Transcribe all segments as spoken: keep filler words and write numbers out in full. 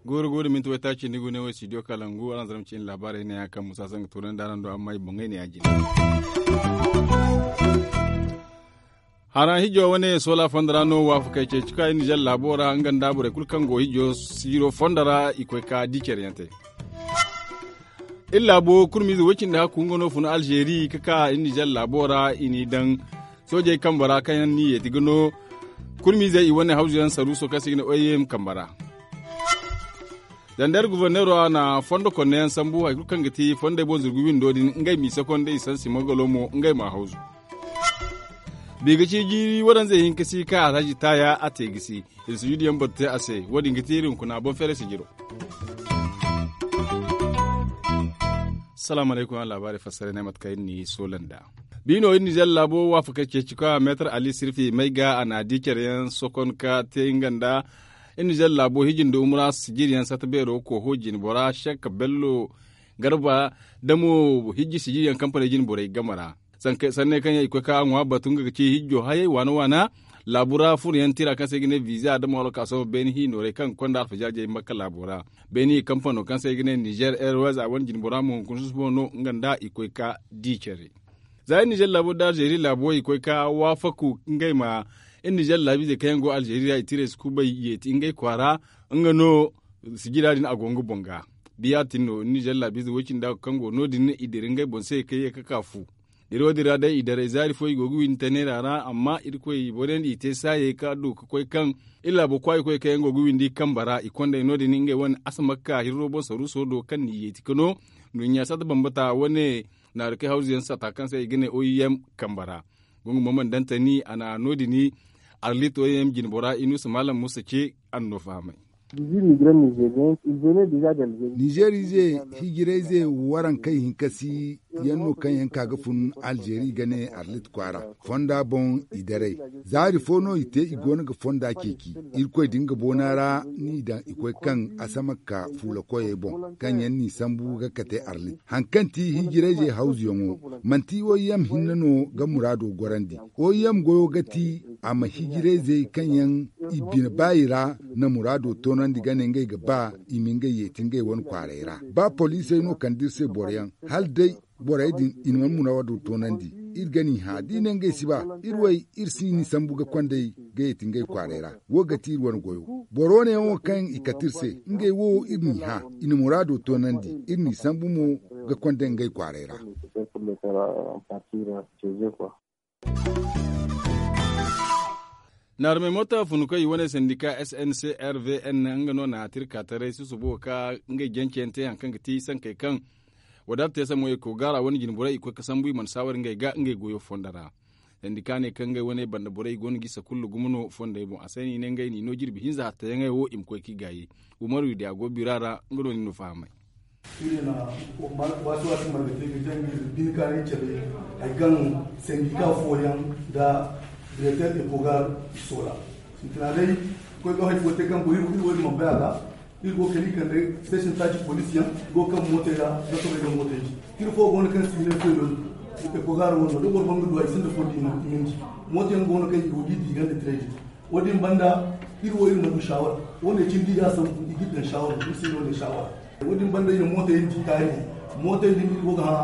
Guuru guuru minti waytaaci ni gune wo studio kalangu araŋ zarma ciine laabaarey ne ya kaŋ musa sanga tuurandi araŋ do amma i boŋey ne ya jina. Haraŋ hijo wane soola fondo ra no waafakey ceeci ka iri nizer laabo ra nga nda borey kulu kaŋ go hijo siiro fondo ra i koy ka di care yaŋ te. Iri laabo kurmiize woy cindi hakku nga no fun alzeeri ka ka iri nizer laabo ra i n'i daŋ soojey kambe ra kaŋ yaŋ n'i yeeti ga no kurmiizey i wane hawzu yaŋ saruuso kaŋ se i ga ne oyem kambe ra. Zandar guverneero a na fondo konne yaŋ sambu hari kulu kaŋ ga ti fondey boŋ zurgu windo din ngey m'i sakonda i sansi mogolo mo ngey m'a hawzu. Biga ci jiiri waranzey hinka si ka alhaji taaya a te gisi. Iri sujudu yaŋ batu te a se wo- din ga ti iri hunkuna boŋ feeray sijiro. Salaamu alaykum araŋ laabaarey fassaray ne mate kaŋ iri n'i soola nd'a. Bi no iri nizer laabo waafakey ceeci ka meetar ali sirfi may ga a na a di care yaŋ sokon ka te nga nda iri nizer laabo hiji nda umura sijiri yaŋ sata beero kooho jine bora sek bello garba da mo hiji sijiri yaŋ kampaney jine borey game ra. Sanney kaŋ yaŋ i koy ka ŋwa batu nga ga ci hijjo hayey waana waana laabu ra furo yaŋ tira kaŋ se i ga ne viza da mawalo ka sohõ beeni hi noorey kaŋ ga konda alfajaajey makka laabo ra. Beeni hi kampano kaŋ se i ga ne nizer airways a wane jine bora mo hunkuna susubo no nga nda i koy ka di care. Za iri nizer laabo da alzeeri laabo i koy ka waafaku ngey ma iri nizer laabiizey kaŋ yaŋ go alzeeri ra i tiray si kubay yeeti ngey kwaara nga no sijira din a go nga boŋ ga. Biya tin no iri nizer laabiize woy cindi a go kaŋ go no- din i dira ngey boŋ se ka ye ka ka fu. Dira wo- din ra day i daray zaari fo i go ga windi te neera ra amma irkoy i borandi i te saayey ka du ka koy kaŋ iri laabo kwaayi koy kaŋ yaŋ go ga windi kambe ra i kondey no- din ngey wane asamakka hirro boŋ saruuso do kaŋ n'i yeeti ka no nduɲɲa sata bambata wane naarikey hawzu yaŋ sata kaŋ se i ga ne oyem kambe ra. Gungu mamman dantani a na no- din arlit oyem jine bora inusa maalam musa ce a na no fahamay. Nizer ize hijirayze warankey hinka si yaŋ no kaŋ yaŋ ka ga fun alzeeri ga ne arlit kwaara fonda boŋ i daray. Zaari fo no i te i go no ga fonda ceeci irkoy din ga boona ra n'i daŋ i koy kaŋ asamakka fuula koyey boŋ kaŋ yaŋ n'i sambu ga kate arlit hari kaŋ ti hijirayzey hawzuyaŋo manti oyem hinne no ga muraado gorandi. Oyem goyo ga ti a ma hijirayzey kaŋ yaŋ i bine baayi ra na muraado toonandi ga ne ngey ga ba i ma ngey yeeti ngey wane kwaaray ra ba poliisey no kande iri se boro yaŋ hala day borey din i na wane muraado toonandi. Iri ga n'i hã da i ne ngey si ba iri way iri si n'i sambu ga kond'ey ga yeeti ngey kwaaray ra. Wo ga ti iri wane goyo boro wane yaŋ wo kaŋ i kate iri se ngey wo iri n'i hã i na muraado toonandi iri n'i sambu mo ga kond'ey ngey kwaaray ra. Naarmey moota funukey i wane sandika sncrvn nga no na tirka taray susubo ka ngey jance yaŋ te hari kaŋ ga ti sankey kaŋ wadaata te sammo eko gaara wane jine borey i koy ga sambu i mana saawar ngey ga ngey goyo fonda ra. Sandika ne kaŋ ngey wane banda borey i go no ga isa kulu gumo no fondey boŋ a se no i ne ngey n'i no jirbi hinza hattayaŋey wo i ma koy k'i gaayi. Umaru i di a go bira ra nga no ni no fahamay. Iri na waasi waasi marga te ga jaŋ iri bine kaanay care hari kaŋ sandika fooyaŋ nda direkter ekogar i soola. Sintina day koy ga hari fo te kaŋ go iri wo iri wo iri mana bay a ga. Iri go kala i kande station taaci police yaŋ go kaŋ mootey ra ga soobay ga mootey di. Iri fo go no kaŋ si ne koy no ekogar wo no da boro ban ga du a i sinda fo da i ma di. Mootey yaŋ go no kaŋ i go ga i di i ganda tirey din. Wo- din banda iri wo iri ma du shawara. Wo- ne cindi i ga sambu i ga iri daŋ shawara iri se no ne shawara. Wo- din banda i na mootey yaŋ di kaari. Mootey din iri go ga hã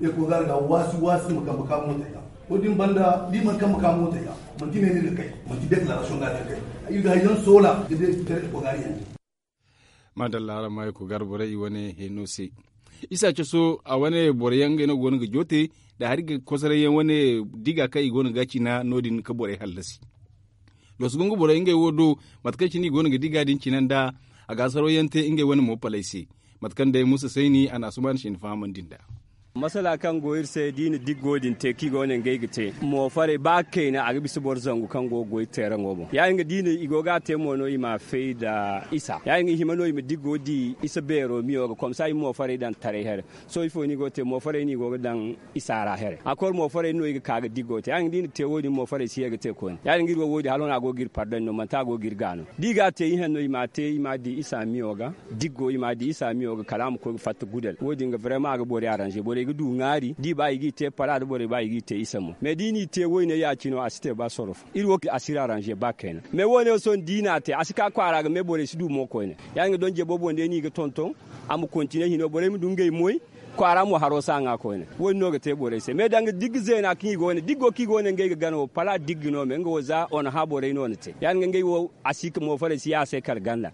ekogar ga waasi waasi ma kambe ka mootey ga. Wo- din banda da i mana kambe ka mootey ga manti ne no iri ga kay. Manti declaration ga iri ga kay. Iri ga hari yaŋ soola ga day care ekogar yaŋ. Maadalla araŋ ma ay ko gar borey i wane heno se. Isa caso a wane boro yaŋ ngey no go no ga joote da hari ga kosoray yaŋ wane diga kaŋ i go no ga cina no- din ka borey hallasi. Loos gungu borey ngey wo do mate kaŋ cine i go no ga diga din cina nda a ga asaro yaŋ te ngey wane mo palay se. Mate kaŋ day musa sayni a na asuman sinda fahamandi nda. Masala kaŋ go iri se da i na diggo din te kaŋ i go no ngey ga te, moofarey ba kayna a ga bisa boro zangu kaŋ go ga goy teeraŋo boŋ ya- din ga da i na i go ga a te mo no i ma a fay nda isa ya- din ga i hima no i ma diggo di isa beero miyo ga komsa i ma moofarey daŋ taray here. Sohõ ifo no i go ga te moofarey no i go ga daŋ isa ra here a kor moofarey no i ga ka ga diggo te ya- din ga da i na te wo- din moofarey si ye ga te koyne ya- din ga iri wo wo- din hala no a go ga iri pardon no manti a go ga iri ga no da i ga a te ihanno i ma a te i ma a di isa miyo ga. Diggo i ma a di isa miyo ga kala a ma koy ga fatta gudal wo- din ga brema a ga borey aranze borey ga du ŋaari da i ba i g'i te pala da borey ba i g'i te isa mo mais da i n'i te woyne ya- cine a si te ba sorof iri wo a si iri aranze ba kayna mais wo- ne wo sohõ da i n'a te a si ka kwaara ga mais borey si du mo koyne ya- din ga donje boobo nda i n'i ga tonton a ma kontine hino borey ma du ngey moy kwaara mo haro si a ŋwa koyne wo- din no ga te borey se mais danga digga zeena kaŋ i go ne diggo kaŋ i go ne ngey ga gana wo pala digga no mais nga wo za onaha borey no na te ya- din ga ngey wo a si ka moofarey si ya a se kala ganda.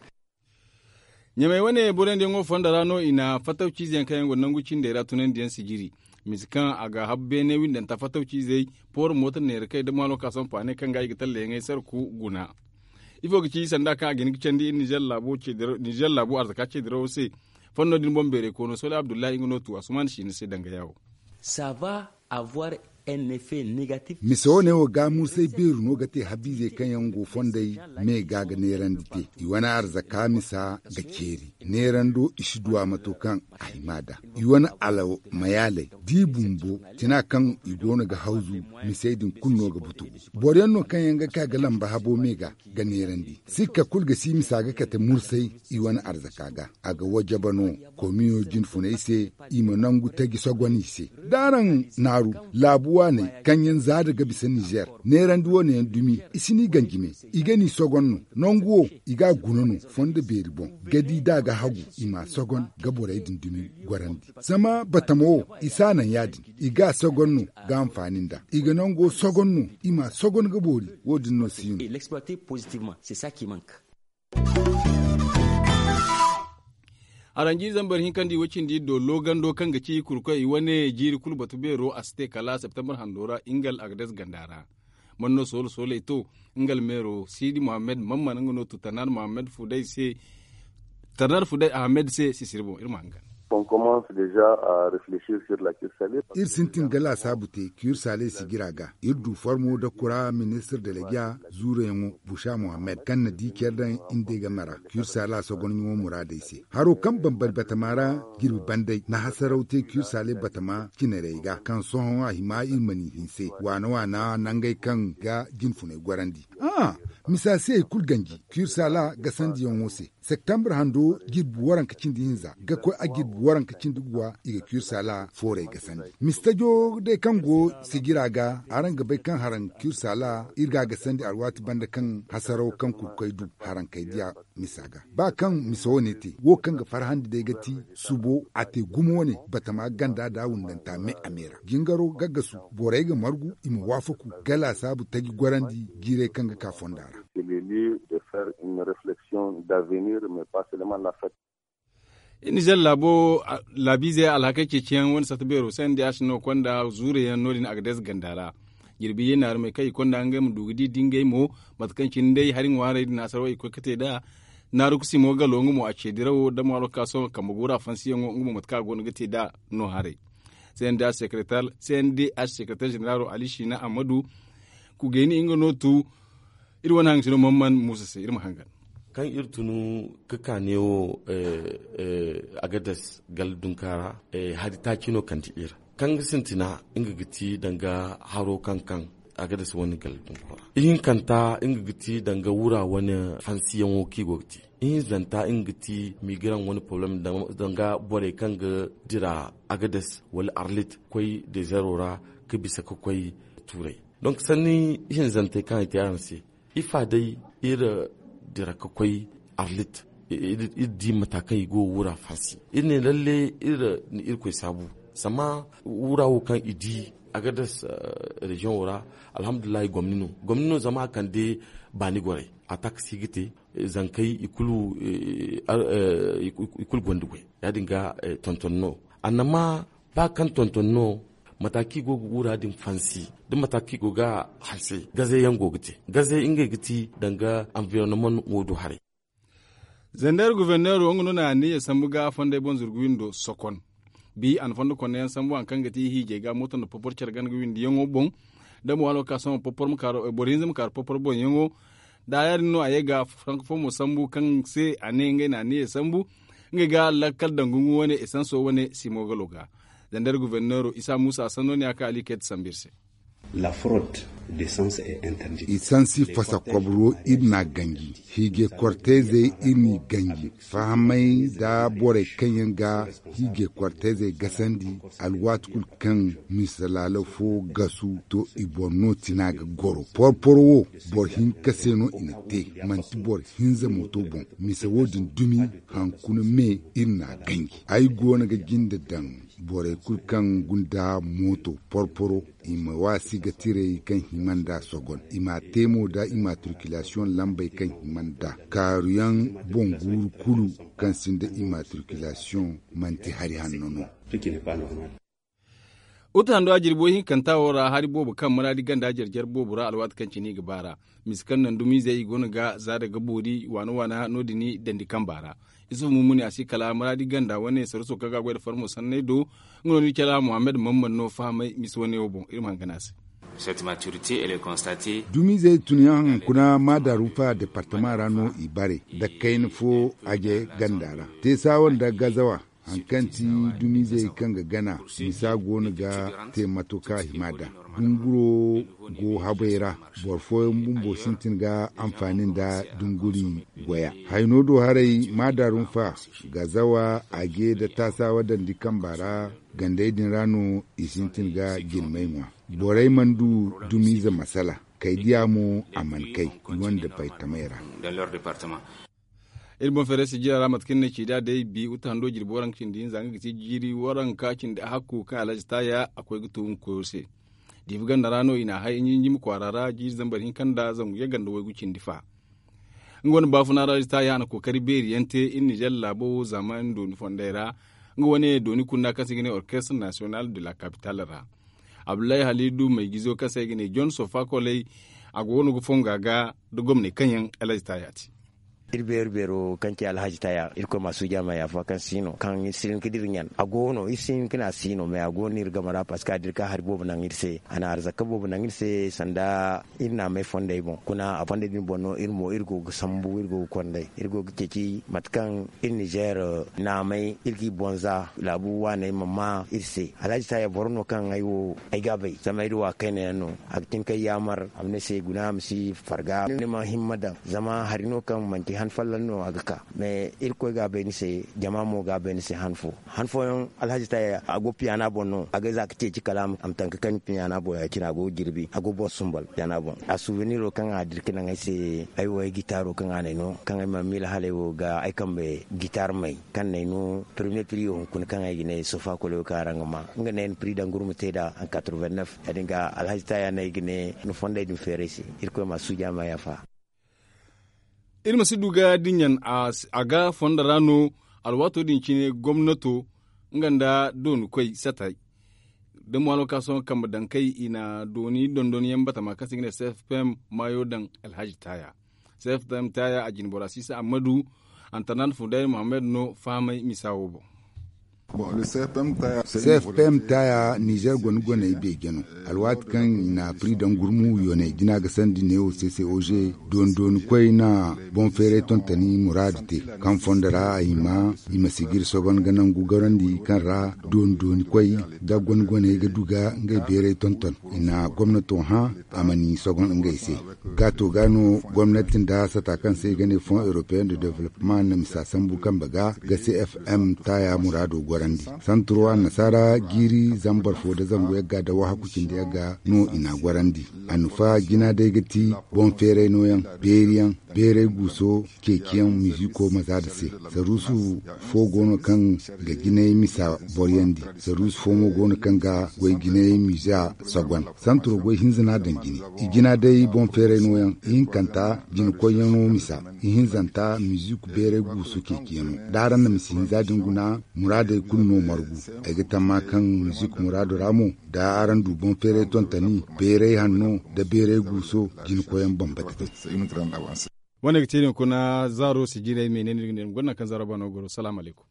Ɲamey wane borey nda yaŋo fondo ra no i na fattawciize yaŋ kaŋ yaŋ go nangu cindey ra tunandiyaŋ sijiri mise kaŋ a ga habu beene windanta fattawciizey pooro mooto neera kay da maalo ka sohõ paaney kaŋ ga i ga tallayaŋey sarku guna. Ifo ga ci sanda kaŋ a ga hin ga candi iri nizer laabo arzaka ceedirawo se. Fondo din boŋ beeray koono sole abdullahi nga no tu asuman siina se danga yaawo. Sava avoir un effet négatif. Mise wane wo ga mursay beeru no ga te habiizey kaŋ yaŋ go fondey me ga ga neerandi te i wane arzaka misa ga ceeri neerando i si du a mato kaŋ a hima da i wane alaw mayaaley da i bumbo tina kaŋ i go no ga hawzu. Misey din kulu no ga butu boro yaŋ no kaŋ yaŋ ga ka ga lamba habo me ga ga neerandi sikka kulu ga si misa ga kate mursay i wane arzaka ga a ga wajaba no komiyo jinfuney se. I ma nangu taji sogon i se da araŋ naaru laabu waaney kaŋ yaŋ zaada ga bisa nizer neerandi wane yaŋ dumi i si n'i ganji me i ga n'i sogon no nangu wo i ga a guna no fondo beeri boŋ ga di da a ga hagu i m'a sogon ga borey din dumi gorandi zama batama wo i si a naŋ ya-din i ga a sogon no ga hanfaani nd'a i ga nango sogon no i m'a sogon ga boori wo- din no si no. Aranji zambar hinka nda i way cindi iri do loogando kaŋ ga ci kurkoy i wane jiiri kulu batu beero a si te kala septembar hando ra ingal agades ganda ra. Man no soolo sooley to ingal meero siidi muhammed mamman nga no tu tarnar muhammed fuday se tarnar fuday ahmed se sisiri boŋ iri ma hangan. Iri sintin ga laasaabu te kiir saaley sijira ga iri du formo da kura ministir delegiya zuurayaŋo busa muhammed kaŋ na di care daŋ iri day game ra. Kiir saala sogonyaŋo muraadey se haro kaŋ bambari batama ra jirbi banday na hasaraw te kiir saaley batama cinarey ga kaŋ sohõ a hima iri ma n'i hinse waana waana nangey kaŋ ga jinfuney gorandi. Misa se hari kulu ganji kiir saala gasandiyaŋo se septembre hando jirbi waranka cindi hinza ga koy a jirbi waranka cindi guwa i ga kiir saala foorey gasandi mistajo day kaŋ go sijira ga araŋ ga bay kaŋ haraŋ kiir saala iri ga a gasandi alwaati banda kaŋ hasaraw kaŋ kurkoy du haraŋ kay diya misa ga ba kaŋ misa wane te wo kaŋ ga farhandi day ga ti subo a te gumo wane batama ganda da wundanta me a me ra jingaro gaggasu borey ga margu i ma waafaku ga laasaabu taji gorandi jiirey kaŋ ga ka fonda ra. Iri nizer laabo laabiize alhakey ceeciyaŋ wane satta beero se nda ya si no konda zuure yaŋ no- din a ga deesa ganda ra. Jirbi ye naarumey kaŋ i konda ngey ma du ga di dingey mo mate kaŋ cine day hari ŋwaarey din na asarwa i koy ga te nd'a. Naaru kusimo galo nga mo a ce dirawo da maaro ka sohõ kambe guura fansiyaŋo nga mo mate kaŋ a go no ga te nd'a no haray. Cndh sekretar generaro ali siina ammadu kugayni nga no tu. Iri wane haŋ sino mamman muusa se iri ma hangan. Kaŋ iri tunu ga ka neewo agades gala dunka ra hari taaci no kande iri kaŋ ga sintina nga ga ti danga haro kaŋ kaŋ agades wane gala dunka ra ihinkanta nga ga ti danga wura wane fansiyaŋo kaŋ i go ga te ihinzanta nga ga ti migraŋ wane poroblem danga borey kaŋ ga dira agades wala arlit ga koy dezero ra ga bisa ga koy tuuray. Donk sanni ihinzantey kaŋ i te araŋ se ifa day iri dira ga koy arlit iri di mata kaŋ i go ga wura fansi iri ne lalle iri na irkoy saabu zama wura wo kaŋ i di agades reziyoŋo ra alhamdulillahi gomni no gomni no zama a kande baani gorey a taksi ga te zankey i kulu gonda goy ya- din ga tonton no annama ba kaŋ tonton no mata kaŋ i go ga wura din fansi da mata kaŋ i go ga hanse gaze yaŋ go ga te gaze ngey ga ti danga anvironnement wo du haray. Zander guverneero nga no na anniya sambu ga fondey boŋ zurgu windo sokon. Bi a na fondo konda yaŋ sambu hari kaŋ ga ti hiijay ga mooto nda popor care gana ga windiyaŋo boŋ. Da mo waalo ga ka sohõ popor ma kaaru boro hinza ma kaaru popor boŋyaŋo. Da ya- din no a ye ga franka fo mo sambu kaŋ se a ne ngey na a niya sambu. Ngey ga lakkal dangungu wane esanso wane simo galo ga. Zandar guverneero isa muusa sanno ne a ka ali kayta sambu iri se. Isansi fasa kobro iri n'a ganji. Hiijay kortayzey iri n'i ganji. Fahamay nda borey kaŋ yaŋ ga hiijay kortayzey gasandi. Alwaati kulu kaŋ mise laalo fo gasu to i boŋ no tina ga goro porporo wo. Boro hinka se no i na te. Manti boro hinza mooto boŋ. Mise wo- din dumi hankuna me iri n'a ganji. Ay go no ga jinde daŋ borey kulu kaŋ gunda mooto porporo i ma waasi ga tirey kaŋ hima nd'a sogon i m'a te mo nda immatriculation lambey kaŋ hima nd'a kaaruyaŋ boŋ guuru kulu. Kaŋ sinda immatriculation manti hari hanno no. Uta hando a jirbi way hinkanta wo ra hari boobo kaŋ maraadi ganda jare-jare boobo ra alwaati kaŋ cine i ga ba ra. Mise kaŋ naŋ dumiizey i go no ga za daga boori waana waana no- din dandi kamba ra. Isufu mummuni a si kala maraadi ganda wane saruso kaŋ ga a goy nda farmo sanney do. Nga no ni cala muhammad mammad no fahamay mise wane wo boŋ iri ma hangan a se. Dumiizey tun yaŋ hunkuna maadarufa departama ra no i bare nda kayna fo aje ganda ra. Teesawa nda gazawa hari kaŋ ti dumiizey kaŋ ga gana misa go no ga te mato kaŋ a hima nd'a. Dunguro go habey ra. Boro fooyaŋ bumbo sintin ga anfaani nda dunguri goya hayno do haray maadarufa gazawa aje nda taasawa dandi kamba ra. Gandey din ra no i sintin ga jirmey ŋwa. Borey mana du dumiize masala kay diya mo a mana kay i wane departamey ra. Iri boŋ feeray sijira ra mate kaŋ ni ne ci da day bi uta hando jirbi waranka cindi hinza nga ga ti jiiri waranka cindi a hakku kaŋ alhaji taaya a koy ga tu nga koyo se. Diibi ganda ra no i n'a hay njinjimi kwaara ra jiiri zambar hinka nda zangu yagga nda waygu cindi fa. Nga wane baafuna ra alhaji taaya a na kookari beeri yaŋ te iri nizer laabo wo zaamaani dooni fondey ra. Nga wane dooni kunna kaŋ se i ga ne orkestre nasiyonal de la kapital ra. Abdullahi halidu maygizo kaŋ se i ga ne john sofa koley. A go no ga fonga ga da gomney kaŋ yaŋ alhaji taaya te. Iri beeri beero kaŋ ci alhaji taya irkoy ma suuja ma yaafa kaŋ si no kaŋ iri si hin ga dira ɲan a go no iri si hin ga ne a si no mais a go no iri game ra parceque a dira ka hari boobo naŋ iri se a na arzaka boobo naŋ iri se sanda iri na a may fondey boŋ kuna a fondey din boŋ no iri mo iri go ga sambu iri go ga kondey iri go ga ceeci mate kaŋ iri nizer na a may iri g'i boŋ za laabu waaney ma ma iri se alhaji taya boro no kaŋ ay wo ay ga a bay zama iri wa kayna yaŋ no. A ga tin kay yaamar a ma ne se guna a ma si farga ni ma himma daŋ zama hari no kaŋ manti han folloŋ no a ga ka. Mais irkoy ga a bay ni se jama mo ga a bay ni se han fo han fooyaŋ alhaji taya a go piyana boŋ no a ga za ga ceeci kala a ma tanka kaŋ piyana boŋ ya- cine a go ga jirbi a go boro sumbal piyana boŋ a suuveniro kaŋ a dira ka naŋ ay se. Ay wo ay gitaaro kaŋ a n'ay no kaŋ ay mana miila hala ay wo ga ay kambe gitaar may kaŋ n'ay no. Premier priyo hunkuna kaŋ ay ga ne sofa koloyo kaŋ araŋ ga ma nga ne ay na pri daŋ gurma te nd'a en quatre-vingt-neuf ya- din ga alhaji taya no ay ga ne ni fondey din feeray se. Irkoy ma suuja ma yaafa. Iri ma si du ga diɲɲan a ga fondo ra no. Alwaato din cine gomnato nga nda dooni koy satay da mo alwakaaso kambe daŋ kay i na dooni dondon yaŋ batama kaŋ se i ga ne cfpm maayo daŋ alhaji taya. Cfpm taya a jine bora sisa ammadu antarnat fuday muhammad no fahamay misa wo boŋ. Cfpm taya nizer gone goney beeje no. Alwaati kaŋ i na pri daŋ gurmu yoney jina ga sandi neewo ccog dooni dooni koy na boŋ feeray tontoni muraadu te kaŋ fondo ra a hima i ma si ga iri sogon ga nangu gorandi kaŋ ra dooni dooni koy da gone goney ga du ga ngey beeray tonton. I na gomnato hã a ma ni sogon ngey se. Gaato ga no gomnati nda sata kaŋ se i ga ne fonds européen de développement na misa sambu kambe ga ga cfm taya muraado gorandi. Santuro annasaara jiiri zambar fo nda zangu yagga nda wahaku cindi yagga no i n'a gorandi. Annufa jina day ga ti boŋ feeray nooyaŋ, beeriyaŋ, beeray guuso, ceeciyaŋ miziiko mazaada se. Saruusu fo go no kaŋ ga jinay misa boryandi. Saruusu fo mo go no kaŋ ga goy jinay miza sogon. Santuro goy hinza no a daŋ jine. I jina day boŋ feeray nooyaŋ. Ihinkanta jinakoyyaŋo misa. Ihinzanta miziiko beeray guuso ceeciyaŋo. Da araŋ na misa hinza din guna muraadey kulu no margu. Ay ga tamma kaŋ miziiko muraado ra mo da araŋ du boŋ feeray tontoni beeray hanno nda beeray guuso jinakoyyaŋ bambata te. Wane ga te din kuna zaaro sijirey me ne ni ga ne gonna kaŋ zaaro bano goro salaamu alaykum.